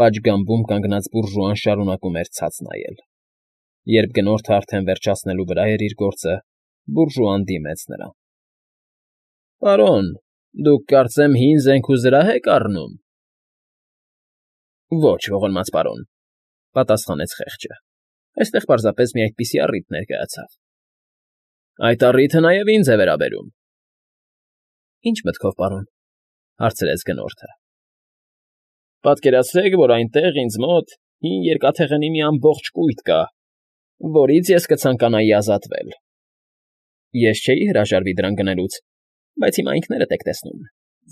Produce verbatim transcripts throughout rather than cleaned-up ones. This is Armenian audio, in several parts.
Պատշգամբում կանգնած բուրժուան շարունակում էր ցած նայել։ Երբ գնորդն արդեն վերջացնելու վրա էր իր գործը, բուրժուան դիմեց նրան։ ֊ Պարոն, դուք, կարծեմ, հին զենք ու զրահ եք առնում։ ֊ Ոչ, ողորմած պարոն,֊ պատասխանեց խեղճը,֊ այստեղ պարզապես մի այդպիսի առիթ ներկայացավ։ ֊ Այդ առիթը նաև ինձ է վերաբերում։ ֊ Ի՞նչ մտքով, պարոն,֊ հարցրեց գնորդը։ ֊ Պատկերացրեք, որ այնտեղ, ինձ մոտ, հին երկաթեղենի մի ամբողջ կույտ կա, որից ես կցանկանայի ազատվել։ Ես չէի հրաժարվի դրան գնելուց, բայց հիմա ինքներդ եք տեսնում,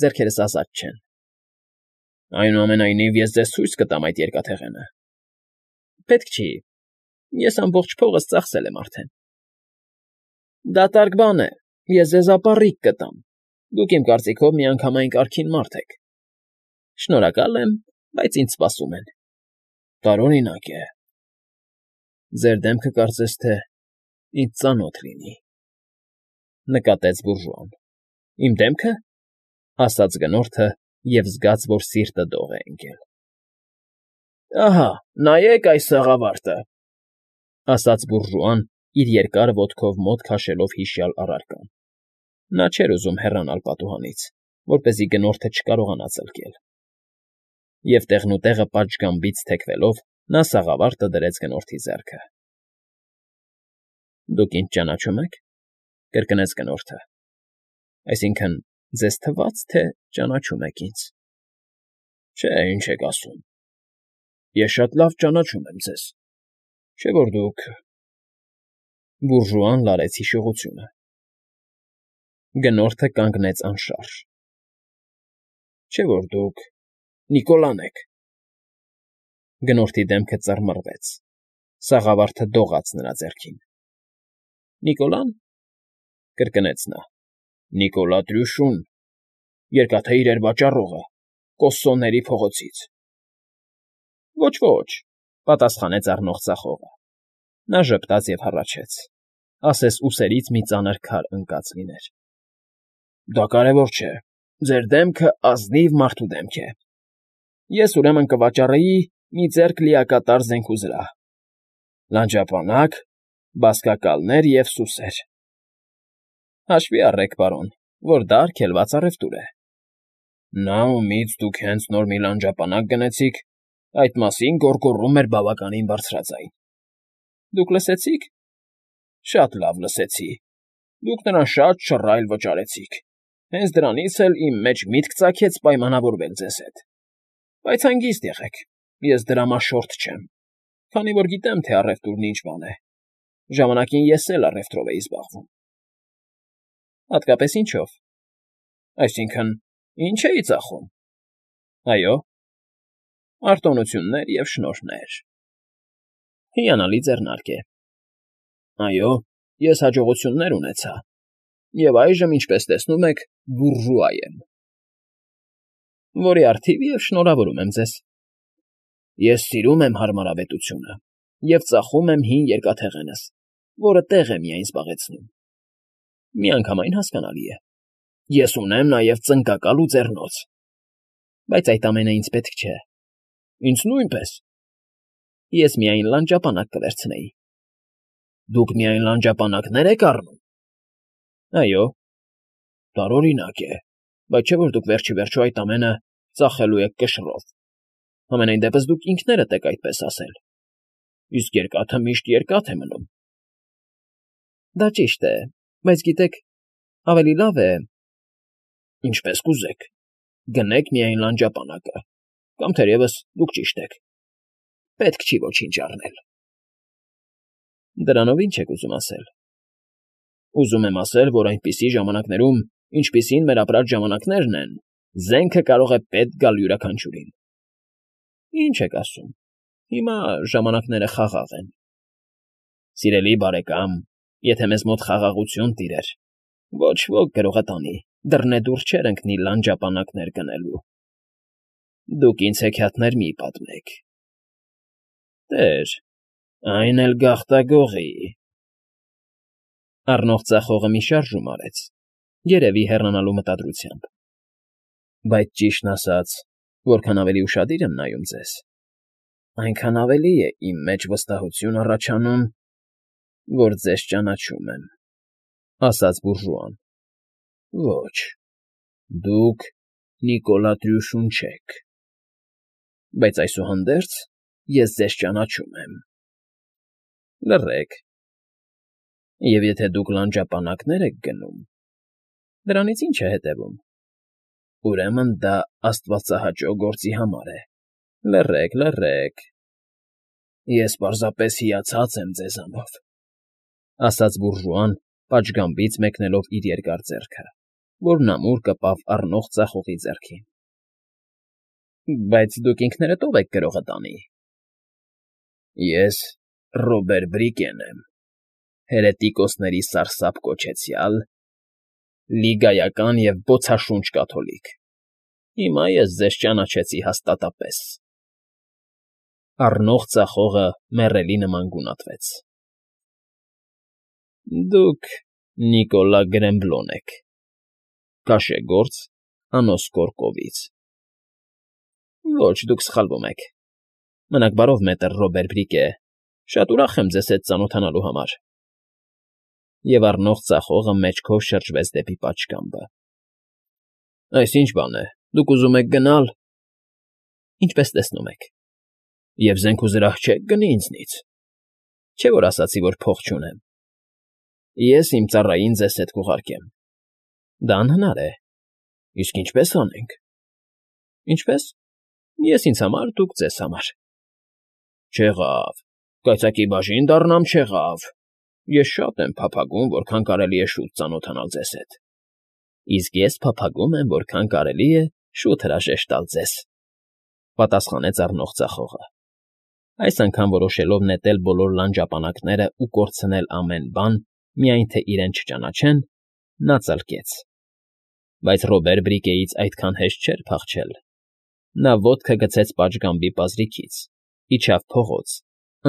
ձեռքերս ազատ չեն։ ֊ Այնուամենայնիվ, ես ձեզ ցույց կտամ այդ երկաթեղենը։ ֊ Պետք չի, ես ամբողջ փողս ծախսել եմ արդեն։ ֊ Դատարկ բան է, ես ձեզ ապառիկ կտամ, դուք իմ կարծիքով միանգամայն կարգին մարդ եք։ ֊ Շնորհակալ եմ, բայց ինձ սպասում են։ ֊ Տարօրինակ է։ ֊ Ձեր դեմքը կարծես թե ինձ ծանոթ լինի,֊ նկատեց բուրժուան։ ֊ Իմ դեմքը,֊ ասաց գնորդը և զգաց, որ սիրտը դող է ընկել։ ֊ Ահա, նայեք այս սաղավարտը,֊ ասաց բուրժուան, իր երկար ոտքով մոտ քաշելով հիշյալ առարկան. նա չէր ուզում հեռանալ պատուհանից, որպեսզի գնորդը չկարողանա ծլկել։ Եվ տեղնուտեղը պատշգամբից թեքվելով, նա սաղավարտը դրեց գնորդի ձեռքը։ ֊ Դուք ինձ ճանաչո՞ւմ եք,֊ կրկնեց գնորդը։ ֊ Այսինքն՝ ձեզ թվաց, թե ճանաչում եք ինձ։ ֊ Չէ, ինչ եք ասում, ես շատ լավ ճանաչում եմ ձեզ, չէ՞ որ դուք… Բուրժուան լարեց հիշողությունը։ Գնորդը կանգնեց անշարժ։ ֊ Չէ՞ որ դուք Նիկոլան եք։ Գնորդի դեմքը ծռմռվեց, սաղավարտը դողաց նրա ձեռքին։ ֊ Նիկոլա՞ն,֊ կրկնեց նա,֊ Նիկոլա Տրյուշուն, Երկաթե իրեր վաճառողը, Կոссոների փողոցից։ ֊ Ոչ, ոչ,֊ պատասխանեց առնող ծախողը։ Նա ժպտաց և հառաչեց, ասես ուսերից մի ծանր քար ընկած լիներ։ ֊ Դա կարևոր չէ, ձեր դեմքը ազնիվ մարդու դեմք է։ Ես, ուրեմն, կվաճառեի մի ձեռք լիակատար զենք ու զրահ, լանջապանակ, բազկակալներ և սուսեր։ Հաշվի առեք, պարոն, որ դա արգելված առևտուր է։ ֊ Նա, ումից դուք հենց նոր մի լանջապանակ գնեցիք, այդ մասին գոռգոռում էր բավականին բարձրաձայն։ ֊ Դուք լսեցի՞ք։ ֊ Շատ լավ լսեցի, դուք նրան շատ շռայլ վճարեցիք, հենց դրանից էլ իմ մեջ միտք ծագեց պայմանավորվել ձեզ հետ։ Բայց հանգիստ եղեք, ես դրամաշորթ չեմ, քանի որ գիտեմ, թե առևտուրն ինչ բան է, ժամանակին ես էլ առևտրով էի զբաղվում։ ֊ Հատկապես ինչո՞վ։ ֊ Այսինքն՝ ինչ էի ծախում։ ֊ Այո։ ֊ Արտոնություններ և շնորհներ։ ֊ Հիանալի ձեռնարկ է։ ֊ Այո, ես հաջողություններ ունեցա, և այժմ, ինչպես տեսնում եք, բուրժուա եմ։ ֊ Որի առթիվ և շնորհավորում եմ ձեզ։ ֊ Ես սիրում եմ հարմարավետությունը և ծախում եմ հին երկաթեղենս, որը տեղ է միայն զբաղեցնում։ ֊ Միանգամայն հասկանալի է։ Ես ունեմ նաև ծնկակալ ու ձեռնոց։ ֊ Բայց այդ ամենը ինձ պետք չէ։ ֊ Ինձ նույնպես։ ֊ Ես միայն լանջապանակ կվերցնեի։ ֊ Դուք միայն լանջապանակնե՞ր եք առնում։ ֊ Այո։ ֊ Տարօրինակ է, բայց չէ՞ որ դուք վերջիվերջո այդ ամենը ծախելու եք կշռով, համենայն դեպս դուք ինքներդ եք այդպես ասել, իսկ երկաթը միշտ երկաթ է մնում։ ֊ Դա ճիշտ է, բայց, գիտեք, ավելի լավ է… ֊ Ինչպես կուզեք, գնեք միայն լանջապանակը, կամ թերևս դուք ճիշտ եք, պետք չի ոչինչ առնել։ ֊ Դրանով ի՞նչ եք ուզում ասել։ ֊ Ուզում եմ ասել, որ այնպիսի ժամանակներում, ինչպիսին մեր ապրած ժամանակներն են, զենքը կարող է պետք գալ յուրաքանչյուրին։ ֊ Ինչ եք ասում, հիմա ժամանակները խաղաղ են։ ֊ Սիրելի բարեկամ, եթե մեզ մոտ խաղաղություն տիրեր, ոչ ոք գրողը տանի, դռնեդուռ չէր ընկնի լանջապանակներ գնելու։ Դուք ինձ հեքիաթներ մի՛ պատմեք։ ֊ Տեր, այն էլ գաղտագողի… Առնող ծախողը մի շարժում արեց, երևի հեռանալու մտադրությամբ։ ֊ Բայց ճիշտն ասած, որքան ավելի ուշադիր եմ նայում ձեզ, Այնքան ավելի է իմ մեջ վստահություն առաջանում, որ ձեզ ճանաչում եմ,֊ ասաց բուրժուան։ Ոչ, դուք Նիկոլա Տրյուշուն չեք, բայց այսուհանդերձ ես ձեզ ճանաչում եմ։ Լռեք, և եթե դուք լանջապանակներ եք գնում, դրանից ի՞նչ է հետևում։ Ուրեմն դա աստվածահաճո գործի համար է։ Լռեք, լռեք… Ես պարզապես հիացած եմ ձեզանով,֊ ասաց բուրժուան, պատշգամբից մեկնելով իր երկար ձեռքը, որն ամուր կպավ առնող ձախողի ձեռքին։ Բայց դուք ինքներդ ո՞վ եք գրողը տանի։ Ես Ռոբեր Բրիկեն եմ, հերետիկոսների սարսափ կոչեցյալ, լիգայական և բոցաշունչ կաթոլիկ։ Հիմա ես ձեզ ճանաչեցի հաստատապես… Առնող ձախողը մեռելի նման գունատվեց։ Դուք Նիկոլա Գրեմբլոն եք, քաշեգործ, անոսկոր կովից։ Ոչ, դուք սխալվում եք… Մնաք բարով, մետր Ռոբեր Բրիկե, շատ ուրախ եմ ձեզ հետ ծանոթանալու համար… Եվ առնող ձախողը մեջքով շրջվեց դեպի պատշգամբը։ Այս ի՞նչ բան է, դուք ուզում եք գնալ… Ինչպես տեսնում եք… Եվ զենք ու զրահ չեք գնի ինձնից… Չէ՞ որ ասացի, որ փող չունեմ… Ես իմ ծառային ձեզ հետ կուղարկեմ… Դա անհնար է… Իսկ ինչպե՞ս անենք… Ինչպե՞ս… Ես ինձ համար, դուք ձեզ համար… Չեղավ… Կայծակի բաժին դառնամ, չեղավ… Ես շատ եմ փափագում, որքան կարելի է շուտ ծանոթանալ ձեզ հետ… Իսկ ես փափագում եմ, որքան կարելի է շուտ հրաժեշտ տալ ձեզ,֊ պատասխանեց առնող ձախողը, այս անգամ որոշելով նետել բոլոր լանջապանակներն ու կորցնել ամեն բան, միայն թե իրեն չճանաչեն, նա ծլկեց… Բայց Ռոբեր Բրիկեից այդքան հեշտ չէր փախչել… Նա ոտքը գցեց պատշգամբի պազրիքից, իջավ փողոց,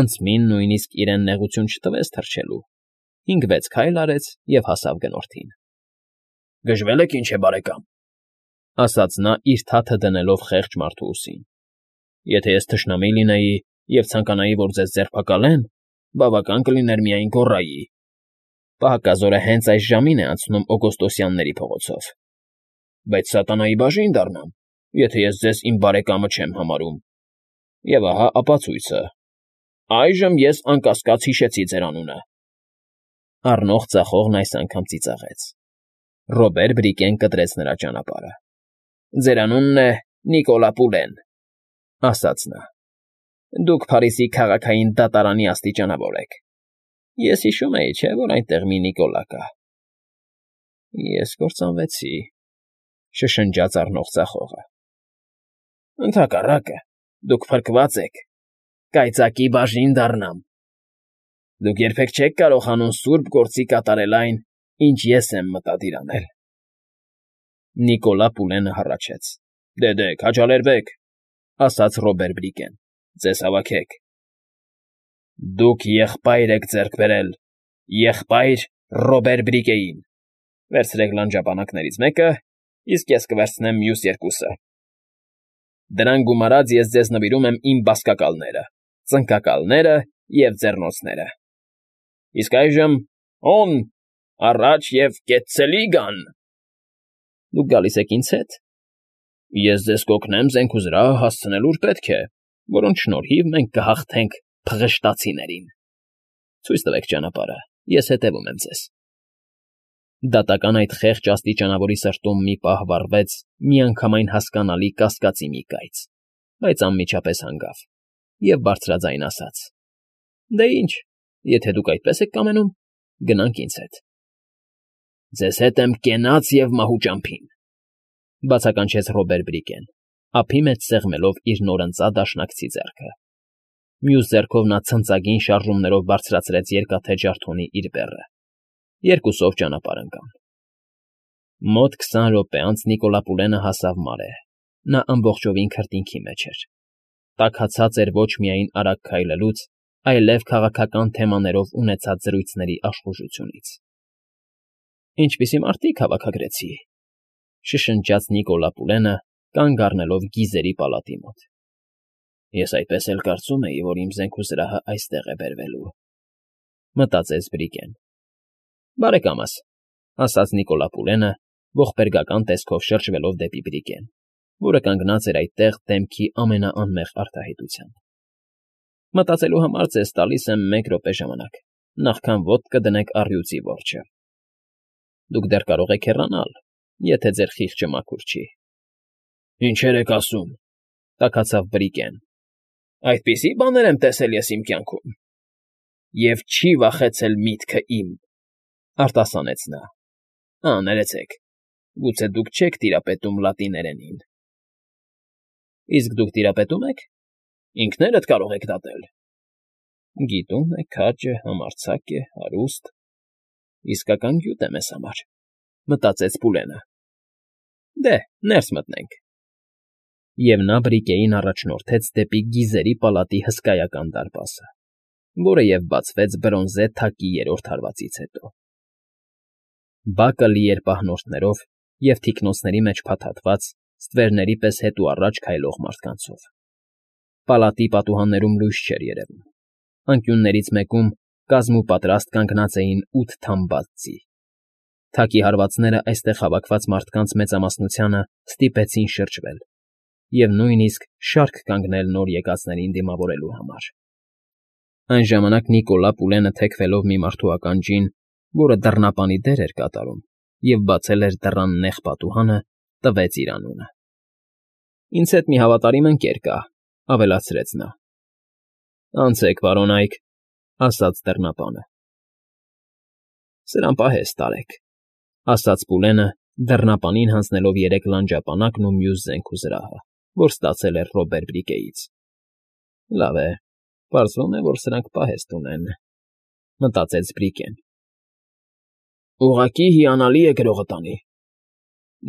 ընդզմին նույնիսկ իրեն նեղություն չտվեց թռչելու, հինգ֊վեց քայլ արեց և հասավ գնորդին։ ֊ Գժվել եք, ինչ է, բարեկամ,֊ ասաց նա, իր թաթը դնելով խեղճ մարդու ուսին,֊ եթե ես թշնամի լինեի և ցանկանայի, որ ձեզ ձերբակալեն, բավական կլիներ միայն գոռայի… Պահակազորը հենց այս ժամին է անցնում Օգոստոսյանների փողոցով… Բայց սատանայի բաժին դառնամ, եթե ես ձեզ իմ բարեկամը չեմ համարում… Եվ ահա ապացույցը… Այժմ ես անկասկած հիշեցի ձեր անունը… Առնող ձախողն այս անգամ ծիծաղեց… Ռոբեր Բրիկեն կտրեց նրա ճանապարհը։ ֊ Ձեր անունն է Նիկոլա Պուլեն,֊ ասաց նա։ Դուք Փարիզի քաղաքային դատարանի աստիճանավոր եք… Ես հիշում էի, չէ՞, որ այնտեղ մի Նիկոլա կա… Ես կործանվեցի,֊ շշնջաց առնող ձախողը։ ֊ Ընդհակառակը, դուք փրկված եք… Կայծակի բաժին դառնամ… Դուք երբեք չեք կարողանում սուրբ գործի կատարել այն, ինչ ես եմ մտադիր անել… Նիկոլա Պուլենը հառաչեց. ֊ Դե, դե, քաջալերվեք,֊ ասաց Ռոբեր Բրիկեն,֊ ձեզ հավաքեք… Դուք եղբայր եք ձեռք բերել… Եղբայր Ռոբեր Բրիկեին… Վերցրեք լանջապանակներից մեկը, իսկ ես կվերցնեմ մյուս երկուսը… Դրան գումարած ես ձեզ նվիրում եմ իմ բազկակալները, ծնկակալները և ձեռնոցները… Իսկ այժմ հոն, առաջ և կեցցելի գան… Դուք գալիս եք ինձ հետ… Ես ձեզ կօգնեմ զենք ու զրահ հասցնել ուր պետք է, որոնց շնորհիվ մենք կհաղթենք փղշտացիներին… Ցույց տվեք ճանապարհը, ես հետևում եմ ձեզ… Դատական այդ խեղճ աստիճանավորի սրտում մի պահ վառվեց միանգամայն հասկանալի կասկածի մի կայծ, բայց անմիջապես հանգավ և բարձրաձայն ասաց. ֊ Դե ինչ, եթե դուք այդպես եք կամենում, գնանք ինձ հետ… Ձեզ հետ եմ կենաց և մահու ճամփին,֊ բացականչեց Ռոբեր Բրիկեն, ափի մեջ սեղմելով իր նորընծա դաշնակցի ձեռքը… Մյուս ձեռքով նա ցնծագին շարժումներով բարձրացրեց երկաթե ջարդոնի իր բեռը… Երկուսով ճանապարհ ընկան… Մոտ քսան րոպե անց Նիկոլա Պուլենը հասավ մարե… Նա ամբողջովին քրտինքի մեջ էր… Տաքացած էր ոչ միայն արագ քայլելուց, այլև քաղաքական թեմաներով ունեցած զրույցների աշխուժությունից… Ինչպիսի մարդիկ հավաքագրեցի,֊ շշնջաց Նիկոլա Պուլենը, կանգ առնելով գիզերի պալատի մոտ… Ես այդպես էլ կարծում էի, որ իմ զենքուզրահը այստեղ է բերվելու,֊ մտածեց Բրիկեն։ Բարեկամս,֊ ասաց Նիկոլա Պուլենը, ողբերգական տեսքով շրջվելով դեպի Բրիկեն, որը կանգնած էր այդտեղ դեմքի ամենաանմեղ արտահայտությամբ։ Մտածելու համար ձեզ տալիս եմ մեկ րոպե ժամանակ, նախքան ոտք կդնեք առյուծի որջը։ Դուք դեռ կարող եք հեռանալ, եթե ձեր խիղճը մաքուր չի։ Ինչեր եք ասում,֊ տաքացավ Բրիկեն։ Այդպիսի բաներ եմ տեսել ես իմ կյանքում։ Եվ չի վախեցել միտքը իմ,֊ արտասանեց նա։ Ա, ներեցեք, գուցե դուք չեք տիրապետում լատիներենին։ Իսկ դուք տիրապետում եք։ Ինքներդ կարող եք դատել։ Գիտուն է, քաջ է, համարձակ է, հարուստ։ Իսկական գյուտ է մեզ համար,֊ մտածեց Պուլենը։ Դե, ներս մտնենք։ Եվ նա Բրիկեին առաջնորդեց դեպի գիզերի պալատի հսկայական դարպասը, որը և բացվեց բրոնզե թակի երրորդ հարվածից հետո։ Բակը լի էր պահնորդներով և թիկնոնցների մեջ փաթաթված, ստվերների պես հետուառաջ քայլող մարդկանցով։ Պալատի պատուհաններում լույս չէր երևում։ Անկյուններից մեկում կազմուպատրաստ կանգնած էին ութ թամբած ձի։ Թակի հարվածները այստեղ հավաքված մարդկանց մեծամասնությանը ստիպեցին շրջվել և նույնիսկ շարք կանգնել նոր եկածներին դիմավորելու համար։ Այն ժամանակ Նիկոլա Պուլենը թեքվելով մի մարդու ականջին, որը դռնապանի դեր էր կատարում և բացել էր դռան նեղ պատուհանը, տվեց իր անունը։ Ինձ հետ մի հավատարիմ ընկեր կա,֊ ավելացրեց նա։ Անցեք, պարոն Այք,֊ ասաց դռնապանը։ Սրան պահես տարեք,֊ ասաց Պուլենը, դռնապանին հանձնելով երեք լանջապանակն ու մյուս զենքուզրահը, որ ստացել էր Ռոբեր Բրիկեից։ Լավ է, պարզվում է, որ սրանք պահեստ ունեն,֊ մտածեց Բրիկեն։ Ուղղակի հիանալի է գրողը տանի։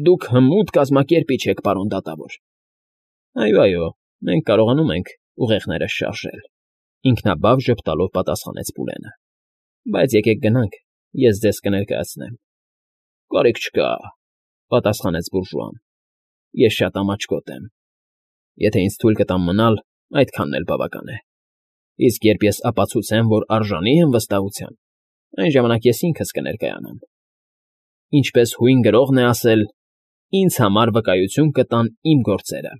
Դուք հմուտ կազմակերպիչ եք, պարոն դատավոր։ Այո, այո, մենք կարողանում ենք ուղեղները շարժել,֊ ինքնաբավ ժպտալով պատասխանեց Պուլենը։ Բայց եկեք գնանք, ես ձեզ կներկայացնեմ։ Կարիք չկա,֊ պատասխանեց բուրժուան։ Ես շատ ամաչկոտ եմ։ Եթե ինձ թույլ կտան մնալ, այդքանն էլ բավական է։ Իսկ երբ ես ապացուցեմ, որ արժանի եմ վստահության, այն ժամանակ ես ինքս կներկայանամ։ Ինչպես հույն գրողն է ասել. ինձ համար վկայություն կտան իմ գործերը։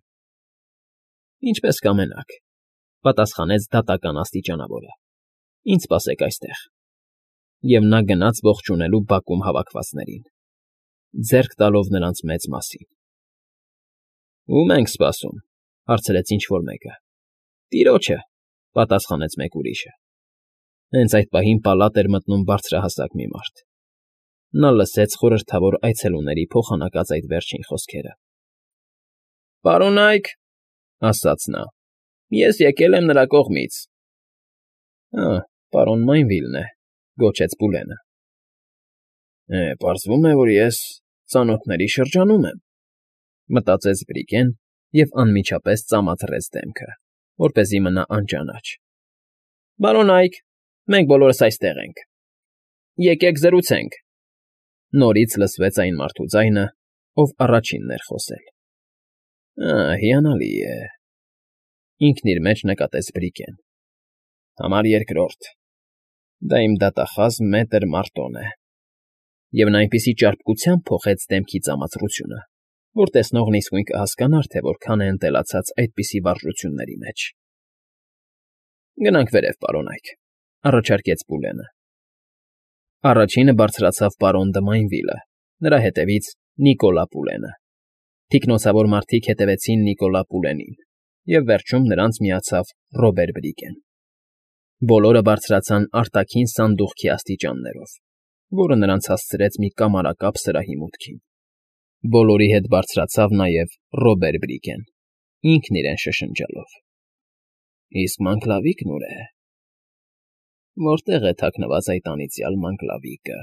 Ինչպես կամենաք,֊ պատասխանեց դատական աստիճանավորը։ Ինձ սպասեք այստեղ։ Եվ նա գնաց ողջունելու բակում հավաքվածներին, ձեռք տալով նրանց մեծ մասին։ Ո՞ւմ ենք սպասում,֊ հարցրեց ինչ֊որ մեկը։ Տիրոջը,֊ պատասխանեց մեկ ուրիշը։ Հենց այդ պահին պալատ էր մտնում բարձրահասակ մի մարդ։ Նա լսեց խորհրդավոր այցելուների փոխանակած այդ վերջին խոսքերը։ Պարոն Այք,֊ ասաց նա,֊ ես եկել եմ նրա կողմից։ Ա, պարոն Մայնվիլն է,֊ գոչեց Պուլենը։ Է, պարզվում է, որ ես ծանոթների շրջանում եմ,֊ մտածեց Բրիկեն և անմիջապես ծամաթռեց դեմքը, որպեսզի մնա անճանաչ։ Պարոն Այք, մենք բոլորս այստեղ ենք։ Եկեք զրուցենք,֊ նորից լսվեց այն մարդու ձայնը, ով առաջինն էր խոսել։ Ա, հիանալի է,֊ ինքն իր մեջ նկատեց Բրիկեն։ Համար երկրորդ։ Դա իմ դատախազ մետր Մարտոն է։ Եվ նա այնպիսի ճարպկությամբ փոխեց դեմքի ծամածռությունը, որ տեսնողն իսկույն կհասկանար, թե որքան է ընտելացած այդպիսի վարժությունների մեջ։ Գնանք վերև, պարոն Այք,֊ առաջարկեց Պուլենը։ Առաջինը բարձրացավ պարոն Դը Մայնվիլը, նրա հետևից Նիկոլա Պուլենը։ Թիկնոցավոր մարդիկ հետևեցին Նիկոլա Պուլենին, և վերջում նրանց միացավ Ռոբեր Բրիկեն։ Բոլորը բարձրացան արտաքին սանդուղքի աստիճաններով, որը նրանց հասցրեց մի կամարակապ սրահի մուտքին։ Բոլորի հետ բարձրացավ նաև Ռոբեր Բրիկեն, ինքն իրեն շշնջալով։ Իսկ Մանգլավիկն ուր է։ Որտե՞ղ է թաքնված այդ անիծյալ Մանգլավիկը։